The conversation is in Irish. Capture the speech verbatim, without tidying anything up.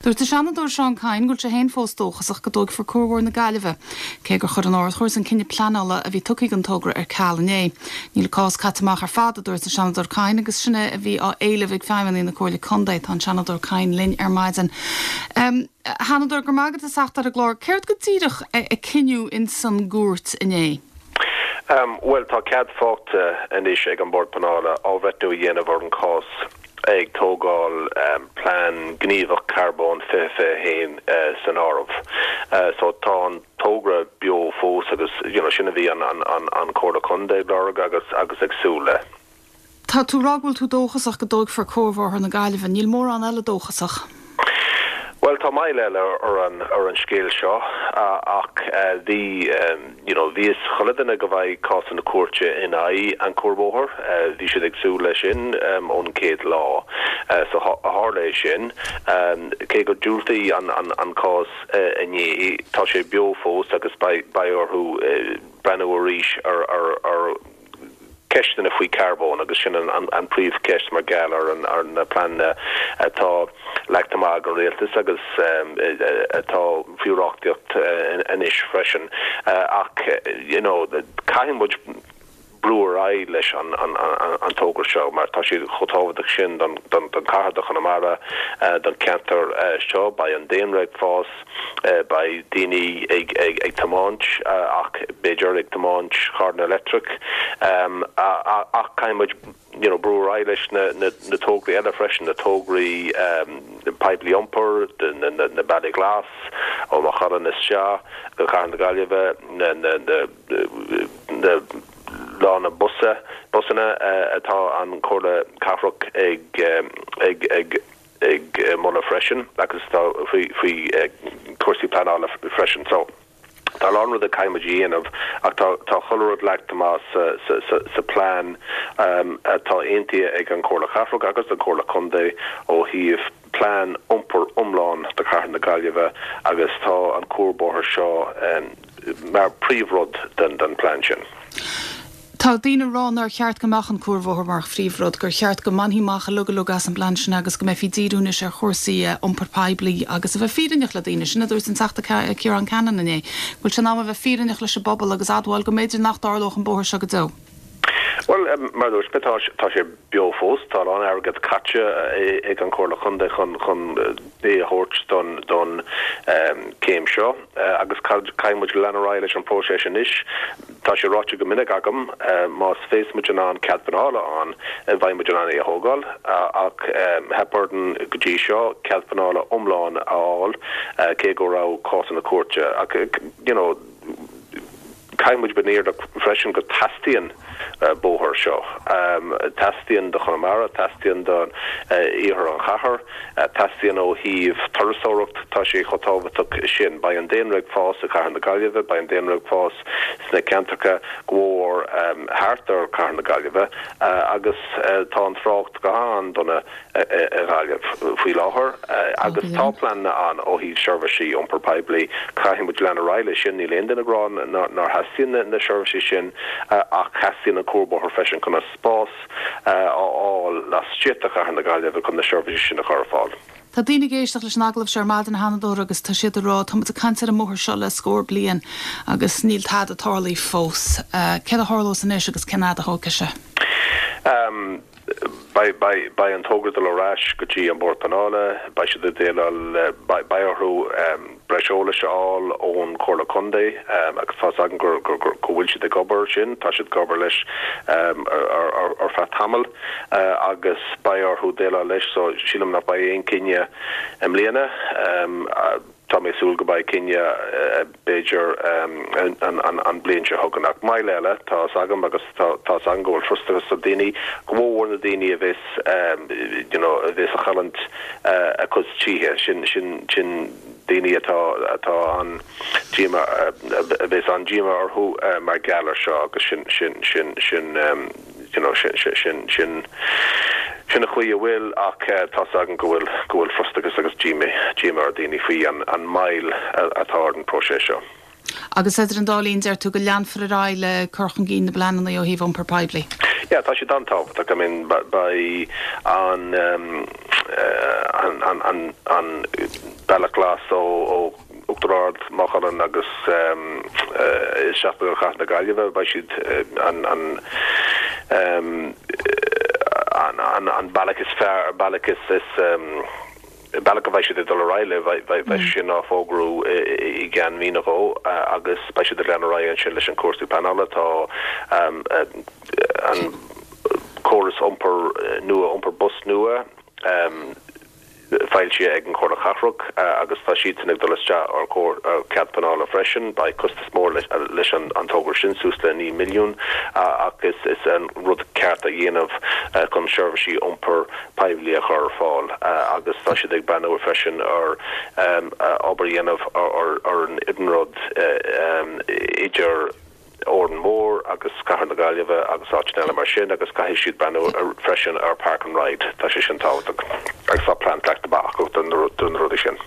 Dúirt an Seanadóir Seán Kyne go bhfuil sé féin fós dóchasach go dtógfar Cuarbhóthar na Gaillimhe, cé gur chuir an Ard-Chúirt an cinneadh pleanála a bhí tugtha don togra ar ceal inné. Níl an cás caite amach ar fad a dúirt an Seanadóir Kyne agus sin é a bhí á éileamh ag feidhmeannaigh na Comhairle Contae tá an Seanadóir Kyne linn ar maidin. Um, Seanadóir go maigad a seachtar a glór, céard go díreach a cinneadh in san gcúirt inné? Um, well tá cead faighte anois ag an Bord Pleanála athbhreithniú a dhéanamh ar an cás ag tógáil um, plean gníomhach carbón fiche fiche haon uh, san áireamh. Uh, so tá an togra beo fós agus you know, sin a bhí an, an, an, an Comhairle Contae ag lorg agus agus ag súil le. Tá tú ag rá go bhfuil tú dóchasach go dtógfar Cuarbhóthar na Gaillimhe, níl mórán eile dóchasach. Well tá moill eile ar an ar an scéal seo ach bhí you know bhí chuile dhuine go mbeidh cás na cúirte in aghaidh an cuarbhóthar bhí siad ag súil leis sin um, ón chéad lá uh, so tharla sin um, cé go diúltaíodh an, an, an cás uh, inné tá sé beo fós agus beidh orthu uh, breathnú arís ar ar ar ceisteanna faoi carbón agus sin an, an, an príomhcheist mar gheall ar an, ar na pleananna atá leagtha amach ag an rialtas agus um, atá faoi reachtaíocht uh, anois freisin uh, ach you know caithfidh muid brú ar aghaidh leis an, an, an, an togra seo mar tá sé chomh tábhachtach sin don, don, don chathair do Chonamara uh, don ceantar uh, seo beidh an daonra ag fás uh, beidh daoine ag, ag, ag tiomáint uh, ach b'fhéidir ag tiomáint carranna leictreach um, ach caithfidh muid you know, brú ar aghaidh leis na, na, na tograí eile freisin na tograí um, poiblí iompair na, na, na bealaí glas ó Maigh Cuilinn isteach go Cathair na Gaillimhe na, na, na, na lána busa busanna uh, atá an Comhairle Cathrach ag um, ag ag ag uh, moladh freisin agus tá faoi faoi uh, cúrsaí pleanála freisin so Tá an rud a caithfidh muid a dhéanamh ach tá tá chuile rud leagtha amach sa, sa, sa, sa plean um, atá aontaithe ag an Comhairle Cathrach agus an Comhairle Contae ó thaobh plean iompair iomlán do Chathair na Gaillimhe agus tá an cuarbhóthar seo um, mar príomhrud den den plean sin. Tá daoine ag rá nár cheart go mbeadh an cuarbhóthar mar phríomhrud gur cheart go mbainfí amach uilig uilig as an bplean sin agus go mbeifí ag díriú anois ar chúrsaí iompar poiblí agus a bheith fírinneach le daoine sin a dúirt an Teachta Ciarán Cannon inné. Bhfuil sé in am a bheith fírinneach leis an bpobal agus admháil go mb'fhéidir nach dtarlódh an bóthar seo go deo. Well um, mar dúirt tá tá sé beo fós tá an airgead caite ag an Comhairle Contae chun chun é a thabhairt don don um, céim seo uh, agus caithfidh muid lean ar aghaidh leis an próiseas anois tá sé ráite go minic agam uh, más féidir muid an cead pleanála an bheidh muid in ann é a thógáil uh, ach um, theip orainn go dtí seo cead pleanála iomlán a fháil uh, cé go raibh cás na cúirte ach you know caithfidh muid bheith freisin go dteastaíonn uh, bóthar seo. Um, teastaíonn do Chonamara, teastaíonn don uh, iarthar an chathair, uh, teastaíonn ó thaobh turasóireacht tá sé chomh tábhachtach sin beidh an daonra ag fás i Cathair na Gaillimhe, beidh an daonra ag fás sna ceantracha go mór um, thart ar Cathair na Gaillimhe uh, agus uh, tá an trácht go han-dona i Gaillimh faoi láthair uh, agus tá pleananna ann ó thaobh seirbhísí iompar poiblí caithfidh muid lean ar aghaidh leis sin níl aon duine ag rá nár theastaíonn na seirbhísí sin uh, ach teastaíonn an cuarbhóthar freisin chun a spás uh, a fháil laistigh de Chathair na Gaillimhe chun na seirbhísí sin a chur ar fáil. Tá daoine ag éisteacht leis an agallamh seo ar maidin a Sheanadóir agus tá siad ag rá tá muid ag caint ar an mbóthar seo le scór bliain agus níl tada tarlaithe fós. Uh, Céard a tharlós anois agus cén fhad a thógfaidh sé. Um, Beidh an togra dul ar ais go dtí an Bord Pleanála, beidh siad déileáil beidh orthu um, breis eolais a fháil ón Comhairle Contae um, agus tá an gur go bhfuil siad ag obair sin, tá siad ag obair leis um, ar, ar, ar feadh tamaill uh, agus beidh orthu déileáil leis so sílim nach mbeidh aon chinneadh i mbliana. Um, uh, tá mé ag súil go mbeidh cinneadh uh, b'fhéidir um, an, an, an bliain seo chugainn ach moill eile tá agam agus tá an go bhfuil frustrachas ar daoine go mór na daoine a bheas um, you know, a bheas ag cailliúint uh, a gcuid tithe sin sin sin daoine atá atá an díomá a bheas an díomá orthu uh, mar gheall air seo agus sin sin sin sin um, you know, sin sin sin sin sin an chaoi a bhfuil ach uh, tá agam go bhfuil go bhfuil frustrachas agus díomá díomá ar daoine faoi an an moill atá ar an próiseas seo. Agus idir an dá linn deir tú go leanfar ar aghaidh le cur chun cinn na bpleananna ó thaobh iompar poiblí. Ja, tá sé an-tábhachtach I mean beidh an um, an an an an bealach glas ó ó Uachtar Ard Maigh Cuilinn agus isteach go Cathair na Gaillimhe beidh siad an an an an an bealach is fearr bealach is is bealach a bheidh siad ag dul ar aghaidh le beidh sin á fógrú i gceann mí nó dhó agus beidh siad ag lean ar aghaidh ansin leis an cúrsaí pleanála tá an córas iompar nua iompar bus nua foilsithe ag an Chomhairle Cathrach agus tá siad sin ag dul isteach ar chóir cead pleanála freisin beidh costas mór leis an an togra sin suas le naoi milliún ach is is an rud ceart a dhéanamh chun seirbhísí iompar poiblí a chur ar fáil agus tá siad ag breathnú freisin ar obair a dhéanamh ar ar an iarnród idir Órán Mór agus Cathair na Gaillimhe agus áiteanna eile mar sin agus caithfidh siad breathnú freisin ar Park and Ride tá sé sin tábhachtach agus tá plean leagtha amach do na rudaí sin.